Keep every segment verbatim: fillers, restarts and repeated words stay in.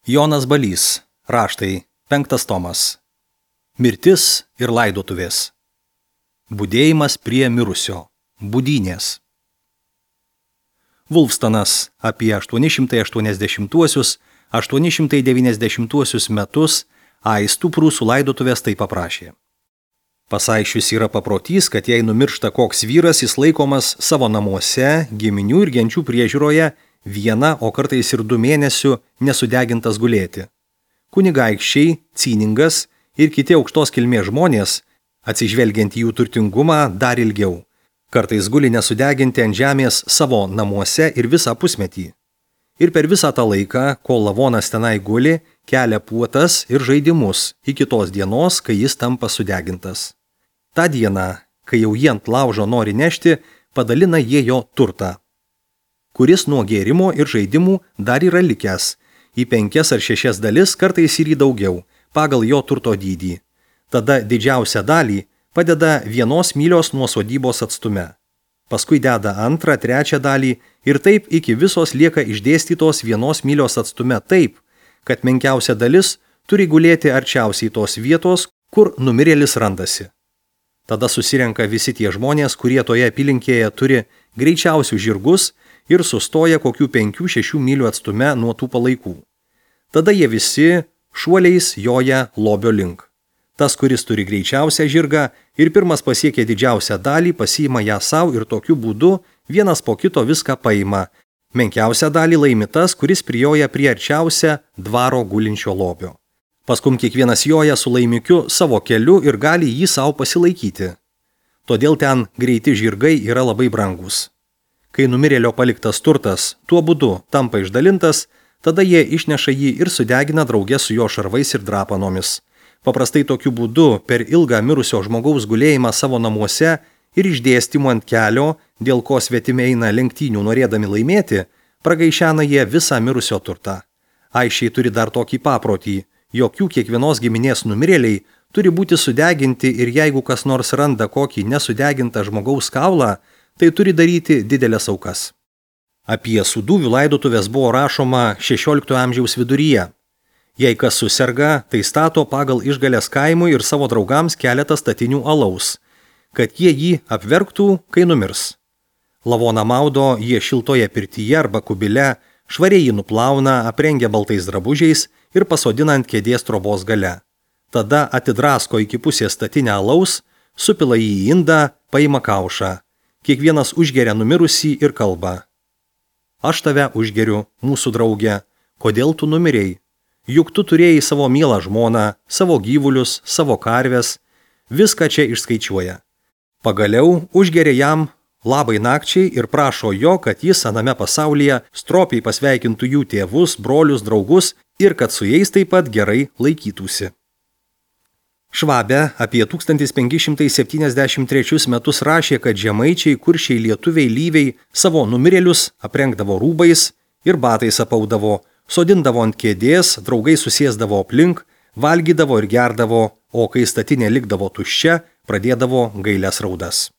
Jonas Balys, raštai, penktas tomas. Mirtis ir laidotuvės. Budėjimas prie mirusio. Budynės. Vulfstonas apie aštuoni šimtai aštuoniasdešimtuosius - aštuoni šimtai devyniasdešimtuosius metus aistų prūsų laidotuvės taip paprašė. Pasaišius yra paprotys, kad jei numiršta koks vyras, jis laikomas savo namuose, giminių ir genčių priežiūroje vieną, o kartais ir du mėnesių nesudegintas gulėti. Kunigaikščiai, cyningas ir kiti aukštos kilmės žmonės, atsižvelgiant į jų turtingumą, dar ilgiau. Kartais guli nesudeginti ant žemės savo namuose ir visą pusmetį. Ir per visą tą laiką, kol lavonas tenai guli, kelia puotas ir žaidimus iki tos dienos, kai jis tampa sudegintas. Ta diena, kai jau jie ant laužo nori nešti, padalina jie jo turtą, kuris nuo gėrimo ir žaidimų dar yra likęs, į penkias ar šešias dalis, kartais ir į daugiau, pagal jo turto dydį. Tada didžiausią dalį padeda vienos mylios nuo sodybos atstume. Paskui deda antrą, trečią dalį ir taip iki visos lieka išdėstytos vienos mylios atstume taip, kad menkiausia dalis turi gulėti arčiausiai tos vietos, kur numirėlis randasi. Tada susirenka visi tie žmonės, kurie toje apylinkėje turi greičiausius žirgus ir sustoja kokių penkių šešių mylių atstume nuo tų palaikų. Tada jie visi šuoliais joja lobio link. Tas, kuris turi greičiausią žirgą ir pirmas pasiekia didžiausią dalį, pasiima ją savo ir tokiu būdu vienas po kito viską paima. Menkiausią dalį laimi tas, kuris prijoja prie arčiausią dvaro gulinčio lobio. Paskum kiekvienas joja su laimikiu savo keliu ir gali jį savo pasilaikyti. Todėl ten greiti žirgai yra labai brangus. Kai numirėlio paliktas turtas tuo būdu tampa išdalintas, tada jie išneša jį ir sudegina drauge su jo šarvais ir drapanomis. Paprastai tokiu būdu per ilgą mirusio žmogaus gulėjimą savo namuose ir išdėstymu ant kelio, dėl ko svetimi eina lenktynių norėdami laimėti, pragaišena jie visą mirusio turtą. Aišiai turi dar tokį paprotį, jokių kiekvienos giminės numirėliai turi būti sudeginti ir jeigu kas nors randa kokį nesudegintą žmogaus kaulą, tai turi daryti didelės aukas. Apie sūduvių laidotuvės buvo rašoma šešioliktojo amžiaus viduryje. Jei kas suserga, tai stato pagal išgalės kaimui ir savo draugams keletą statinių alaus, kad jie jį apverktų, kai numirs. Lavoną maudo jie šiltoje pirtyje arba kubile, švariai jį nuplauna, aprengia baltais drabužiais ir pasodina ant kėdės trobos gale. Tada atidrasko iki pusės statinę alaus, supila jį į indą, paima kaušą. Kiekvienas užgeria numirusį ir kalba: Aš tave užgeriu, mūsų draugė, kodėl tu numirėjai? Juk tu turėjai savo mielą žmoną, savo gyvulius, savo karves, viską čia išskaičiuoja. Pagaliau užgeria jam labai nakčiai ir prašo jo, kad jis aname pasaulyje stropiai pasveikintų jų tėvus, brolius, draugus ir kad su jais taip pat gerai laikytųsi. Švabė apie tūkstantis penki šimtai septyniasdešimt trečius metus rašė, kad žemaičiai, kuršiai, lietuviai, lyviai savo numirėlius aprengdavo rūbais ir batais apaudavo, sodindavo ant kėdės, draugai susėsdavo aplink, valgydavo ir gerdavo, o kai statinė likdavo tuščia, pradėdavo gailias raudas.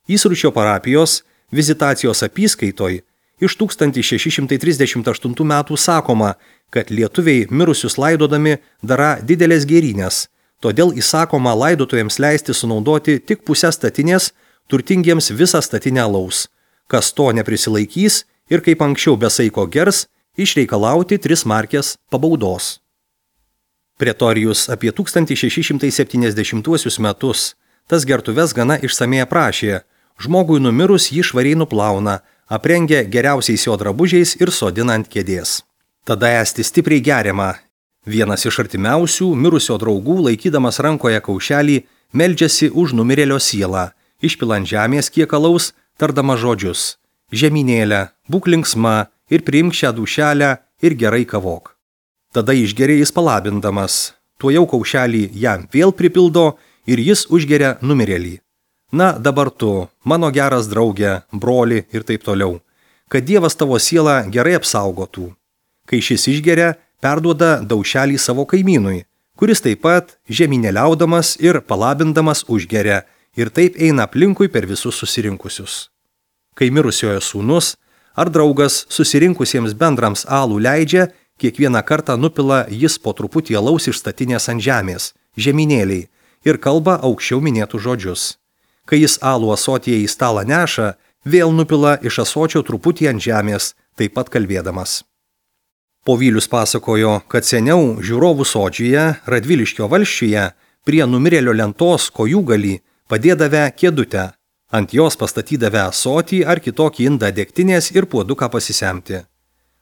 Įsručio parapijos vizitacijos apyskaitoj iš tūkstantis šeši šimtai trisdešimt aštuntų metų sakoma, kad lietuviai mirusius laidodami dara didelės gėrynės, todėl įsakoma laidotuvėms leisti sunaudoti tik pusę statinės, turtingiems visą statinę alaus. Kas to neprisilaikys ir kaip anksčiau be saiko gers, išreikalauti tris markės pabaudos. Pretorijus apie tūkstantis šeši šimtai septyniasdešimtuosius metus tas gertuves gana išsamei aprašė, žmogui numirus jį švariai nuplauna, aprengia geriausiais jo drabužiais ir sodina ant kėdės. Tada esti stipriai geriama. Vienas iš artimiausių mirusio draugų, laikydamas rankoje kaušelį, meldžiasi už numirėlio sielą, išpilant žemės kiek alaus, tardama žodžius: Žemynėlė, būk linksma ir priimk šią dūšelę ir gerai kavok. Tada išgeria jis palabindamas, tuojau kaušelį jam vėl pripildo ir jis užgeria numirėlį. Na, dabar tu, mano geras draugė, broli ir taip toliau, kad Dievas tavo sielą gerai apsaugotų. Kai šis išgeria, perduoda daušelį savo kaimynui, kuris taip pat žemynėliaudamas ir palabindamas užgeria ir taip eina aplinkui per visus susirinkusius. Kai mirusiojo sūnus ar draugas susirinkusiems bendrams alų leidžia, kiekvieną kartą nupila jis po truputį alaus iš statinės ant žemės, žemynėliai, ir kalba aukščiau minėtų žodžius. Kai jis alų asotyje į stalą neša, vėl nupila iš asočio truputį ant žemės, taip pat kalbėdamas. Povylius pasakojo, kad seniau žiūrovų sodžiuje, Radviliškio valsčiuje, prie numirėlio lentos kojūgalį padėdavę kėdutę, ant jos pastatydavę asotį ar kitokį indą degtinės ir puoduką pasisemti.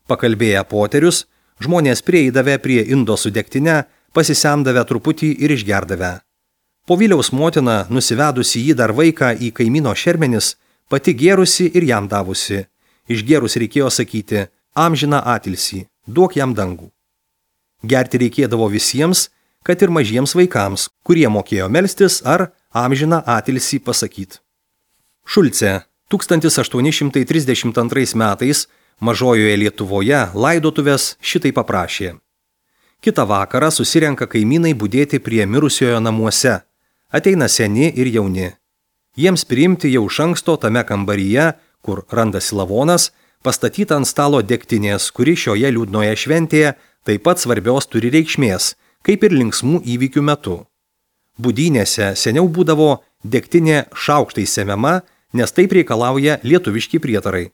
Pakalbėję poterius, žmonės prieidavę prie indo su degtine, pasisemdavę truputį ir išgerdavę. Povyliaus motina, nusivedusi jį dar vaiką į kaimyno šermenis, pati gėrusi ir jam davusi. Išgėrus reikėjo sakyti, amžiną atilsį, duok jam dangų. Gerti reikėdavo visiems, kad ir mažiems vaikams, kurie mokėjo melstis ar amžiną atilsį pasakyti. Šulce tūkstantis aštuoni šimtai trisdešimt antrais metais Mažojoje Lietuvoje laidotuvės šitai paprašė. Kitą vakarą susirenka kaimynai budėti prie mirusiojo namuose. Ateina seni ir jauni. Jiems priimti jau iš anksto tame kambaryje, kur randasi lavonas, pastatyta ant stalo degtinės, kuri šioje liūdnoje šventėje taip pat svarbios turi reikšmės, kaip ir linksmų įvykių metu. Budynėse seniau būdavo degtinė šaukštai semiama, nes taip reikalauja lietuviški prietarai.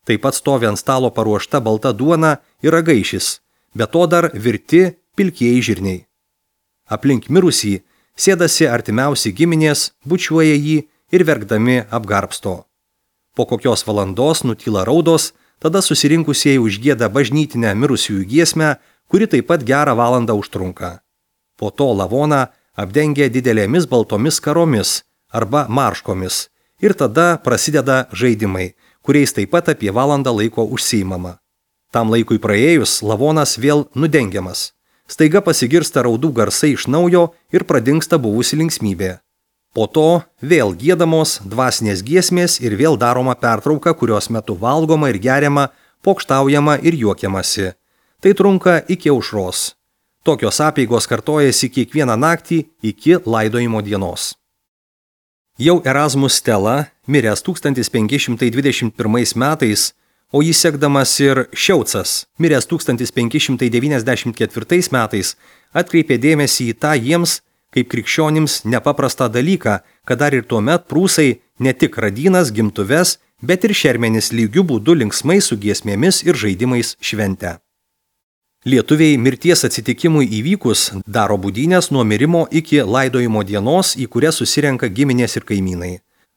Taip pat stovi ant stalo paruošta balta duona ir ragaišis, be to dar virti pilkieji žirniai. Aplink mirusį sėdasi artimiausi giminės, bučiuoja jį ir verkdami apgarbsto. Po kokios valandos nutyla raudos, tada susirinkusieji užgieda bažnytinę mirusiųjų giesmę, kuri taip pat gerą valandą užtrunka. Po to lavoną apdengia didelėmis baltomis karomis arba marškomis ir tada prasideda žaidimai, kuriais taip pat apie valandą laiko užsiimama. Tam laikui praėjus lavonas vėl nudengiamas. Staiga pasigirsta raudų garsai iš naujo ir pradingsta buvusi linksmybė. Po to vėl giedamos dvasinės giesmės ir vėl daroma pertrauka, kurios metu valgoma ir geriama, pokštaujama ir juokiamasi. Tai trunka iki aušros. Tokios apeigos kartojasi kiekvieną naktį iki laidojimo dienos. Jau Erasmus Stela, miręs tūkstantis penki šimtai dvidešimt pirmais metais, o jį sekdamas ir Šiaucas, miręs tūkstantis penki šimtai devyniasdešimt ketvirtais metais, atkreipė dėmesį į tą jiems, kaip krikščionims nepaprastą dalyką, kad dar ir tuomet prūsai ne tik radynas, gimtuves, bet ir šermenis lygių būdų linksmai su giesmėmis ir žaidimais šventę. Lietuviai mirties atsitikimui įvykus daro budynės nuo mirimo iki laidojimo dienos, į kurią susirenka giminės ir kaimynai.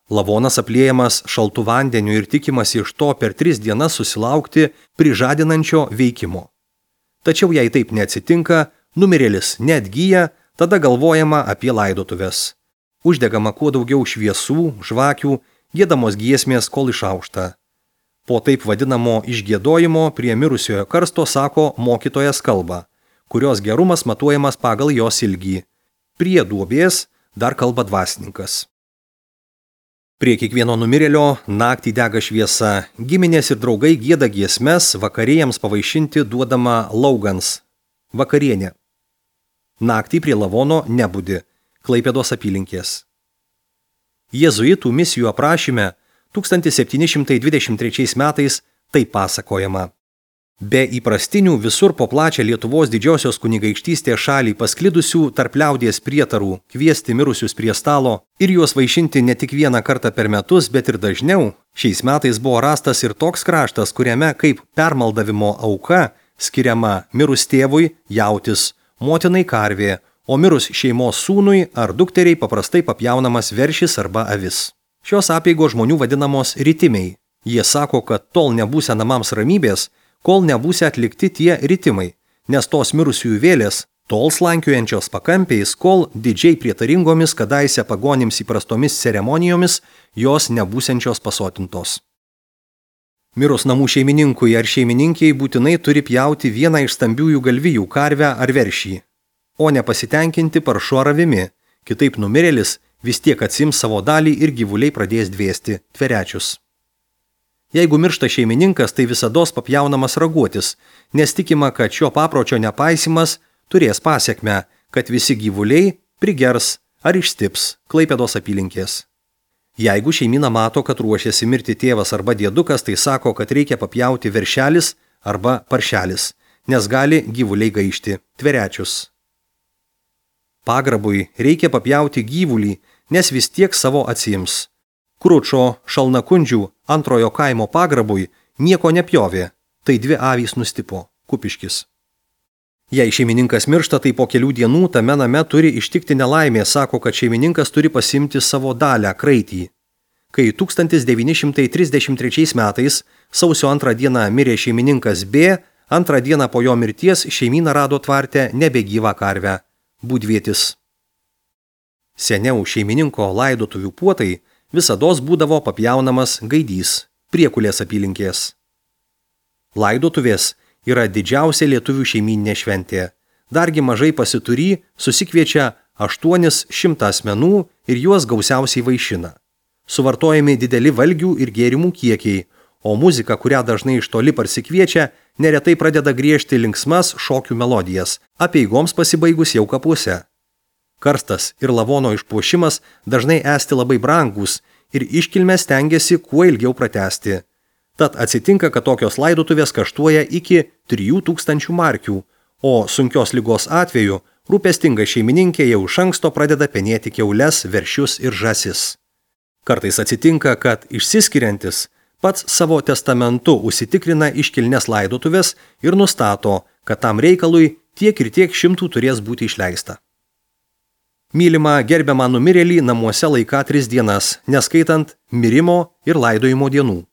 Lavonas apliejamas šaltu vandeniu ir tikimasi iš to per tris dienas susilaukti prižadinančio veikimo. Tačiau jei taip neatsitinka, numirėlis neatgyja, tada galvojama apie laidotuves. Uždegama kuo daugiau šviesų, žvakių, giedamos giesmės, kol išaušta. Po taip vadinamo išgiedojimo prie mirusiojo karsto sako mokytojas kalba, kurios gerumas matuojamas pagal jos ilgį. Prie duobės dar kalba dvasininkas. Prie kiekvieno numirėlio naktį dega šviesa, giminės ir draugai gieda giesmes, vakarėjams pavaišinti duodama laugans, vakarienė. Naktį prie lavono nebudi, Klaipėdos apylinkės. Jėzuitų misijų aprašyme tūkstantis septyni šimtai dvidešimt trečiais metais taip pasakojama. Be įprastinių visur po plačią Lietuvos didžiosios kunigaikštystės šalį pasklidusių tarp liaudies prietarų kviesti mirusius prie stalo ir juos vaišinti ne tik vieną kartą per metus, bet ir dažniau, šiais metais buvo rastas ir toks kraštas, kuriame kaip permaldavimo auka skiriama mirus tėvui jautis, motinai karvė, o mirus šeimos sūnui ar dukteriai paprastai papjaunamas veršis arba avis. Šios apeigos žmonių vadinamos ritimiai. Jie sako, kad tol nebūsia namams ramybės, kol nebūsia atlikti tie ritimai, nes tos mirusiųjų vėlės tol slankiojančios pakampiais, kol didžiai prietaringomis kadaise pagonims įprastomis ceremonijomis jos nebūsiančios pasotintos. Mirus namų šeimininkui ar šeimininkiai būtinai turi pjauti vieną iš stambiųjų galvijų karvę ar veršį, o nepasitenkinti paršu ar avimi, kitaip numirėlis vis tiek atsims savo dalį ir gyvuliai pradės dvėsti tverečius. Jeigu miršta šeimininkas, tai visados papjaunamas raguotis, nes tikima, kad šio papročio nepaisimas turės pasekmę, kad visi gyvuliai prigers ar išstips Klaipėdos apylinkės. Jeigu šeimyna mato, kad ruošiasi mirti tėvas arba dėdukas, tai sako, kad reikia papjauti veršelis arba paršelis, nes gali gyvuliai gaišti, tverečius. Pagrabui reikia papjauti gyvulį, nes vis tiek savo atsiims. Kručo Šalnakundžių antrojo kaimo pagrabui nieko nepjovė, tai dvi avys nustipo, Kupiškis. Jei šeimininkas miršta, tai po kelių dienų tame name turi ištikti nelaimė, sako, kad šeimininkas turi pasimti savo dalę, kraitį. Kai tūkstantis devyni šimtai trisdešimt trečiais metais sausio antrą dieną mirė šeimininkas B, antrą dieną po jo mirties šeimyna rado tvarte nebegyvą karvę, būdvietis. Seniau šeimininko laidotuvių puotai visados būdavo papjaunamas Gaidys, Priekulės apylinkės. Laidotuvės yra didžiausia lietuvių šeimyninė šventė. Dargi mažai pasitury susikviečia aštuonis šimtą asmenų ir juos gausiausiai vaišina. Suvartojami dideli valgių ir gėrimų kiekiai, o muzika, kurią dažnai iš toli parsikviečia, neretai pradeda griežti linksmas šokių melodijas, apeigoms pasibaigus jau kapuose. Karstas ir lavono išpuošimas dažnai esti labai brangus ir iškilmę stengiasi kuo ilgiau pratęsti. Tad atsitinka, kad tokios laidotuvės kaštuoja iki trijų tūkstančių markių, o sunkios ligos atveju rūpestinga šeimininkė jau iš anksto pradeda penėti kiaules, veršius ir žąsis. Kartais atsitinka, kad išsiskiriantis pats savo testamentu užsitikrina iškilnes laidotuvės ir nustato, kad tam reikalui tiek ir tiek šimtų turės būti išleista. Mylima gerbiamą numirėlį namuose laiką tris dienas, neskaitant mirimo ir laidojimo dienų.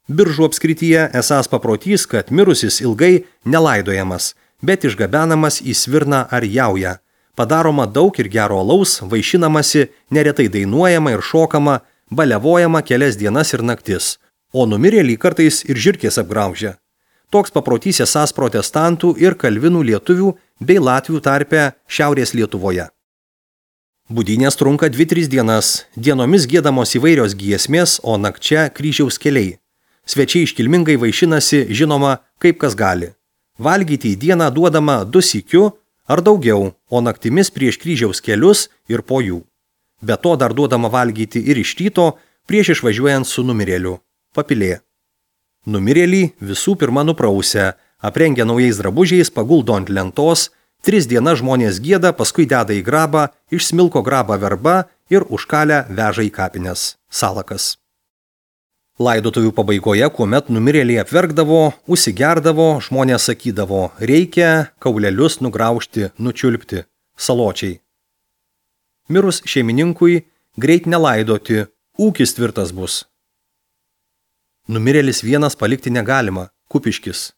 Biržų apskrityje esąs paprotys, kad mirusis ilgai nelaidojamas, bet išgabenamas į Svirną ar Jaują. Padaroma daug ir gero alaus, vaišinamasi, neretai dainuojama ir šokama, baliavojama kelias dienas ir naktis, o numirėlį kartais ir žirkės apgraužia. Toks paprotys esąs protestantų ir kalvinų lietuvių bei latvių tarpe Šiaurės Lietuvoje. Budynės trunka dvi tris dienas, dienomis giedamos įvairios giesmės, o nakčia kryžiaus keliai. Svečiai iškilmingai vaišinasi, žinoma, kaip kas gali. Valgyti į dieną duodama du sykiu ar daugiau, o naktimis prieš kryžiaus kelius ir po jų. Be to dar duodama valgyti ir iš ryto prieš išvažiuojant su numirėliu. Papilė. Numirėlį visų pirma nuprausia, aprengia naujais drabužiais, paguldo ant lentos, tris dienas žmonės gieda, paskui deda į grabą, išsmilko grabą verba ir užkalę veža į kapines. Salakas. Laidotuvių pabaigoje, kuomet numirėliai apverkdavo, užsigerdavo, žmonės sakydavo, reikia kaulelius nugraužti, nučiulpti, saločiai. Mirus šeimininkui greit nelaidoti, ūkis tvirtas bus. Numirėlis vienas palikti negalima, Kupiškis.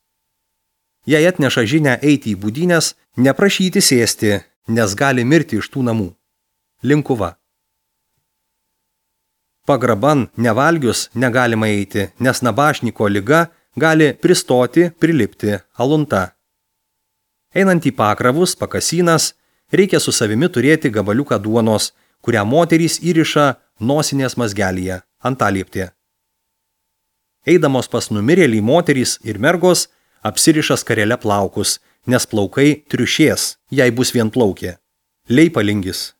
Jei atneša žinią eiti į budynės, neprašyti sėsti, nes gali mirti iš tų namų. Linkuva. Pagraban nevalgius negalima eiti, nes nabašniko liga gali pristoti, prilipti, alunta. Einant į pakravus, pakasynas, reikia su savimi turėti gabaliuką duonos, kurią moterys įriša nosinės mazgelyje, antalieptė. Eidamos pas numirėlį moterys ir mergos apsiriša skarele plaukus, nes plaukai triušės, jei bus vienplaukė. Leipalingis.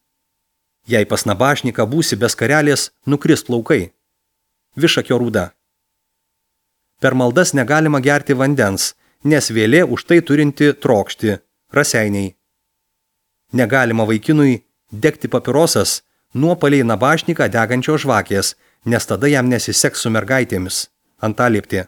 Jei pas nabašniką būsi be skarelės, nukris plaukai. Višakio rūda. Per maldas negalima gerti vandens, nes vėlė už tai turinti trokšti, raseiniai. Negalima vaikinui degti papirosas, nuopaliai nabašniką degančio žvakės, nes tada jam nesiseks su mergaitėmis, antalieptė.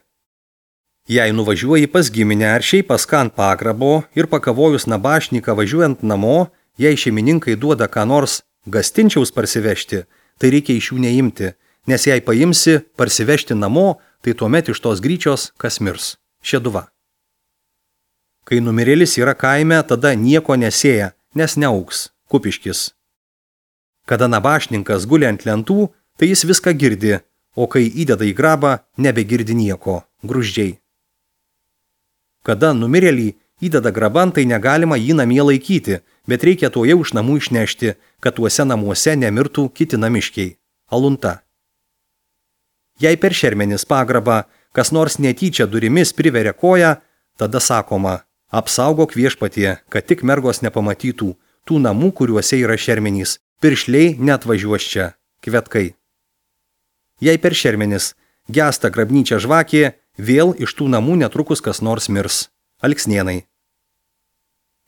Jei nuvažiuoji pas giminę ar šiaip pas ką ant pagrabo ir pakavojus nabašniką važiuojant namo, jei šeimininkai duoda ką nors gastinčiaus parsivežti, tai reikia iš jų neimti, nes jei paimsi parsivežti namo, tai tuomet iš tos gryčios kas mirs. Šeduva. Kai numirėlis yra kaime, tada nieko nesėja, nes neaugs. Kupiškis. Kada nabašninkas guli ant lentų, tai jis viską girdi, o kai įdeda į grabą, nebegirdi nieko. Gruždžiai. Kada numirėlį įdeda graban, tai negalima jį namie laikyti, bet reikia to jau iš namų išnešti, kad tuose namuose nemirtų kiti namiškiai. Alunta. Jei per šermenis pagrabą kas nors netyčia durimis priveria koją, tada sakoma, apsaugok viešpatie, kad tik mergos nepamatytų tų namų, kuriuose yra šermenys, piršliai neatvažiuos čia, kvetkai. Jei per šermenis gesta grabnyčia žvakė, vėl iš tų namų netrukus kas nors mirs. Alksnėnai.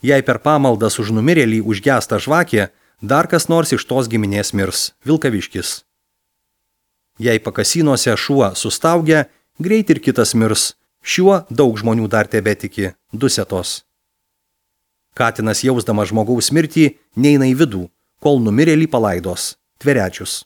Jei per pamaldas už numirėlį užgesta žvakė, dar kas nors iš tos giminės mirs. Vilkaviškis. Jei pakasinuose šuo sustaugia, greit ir kitas mirs. Šiuo daug žmonių dar tebetiki. Dusetos. Katinas jausdamas žmogaus mirtį neina į vidų, kol numirėlį palaidos. Tverečius.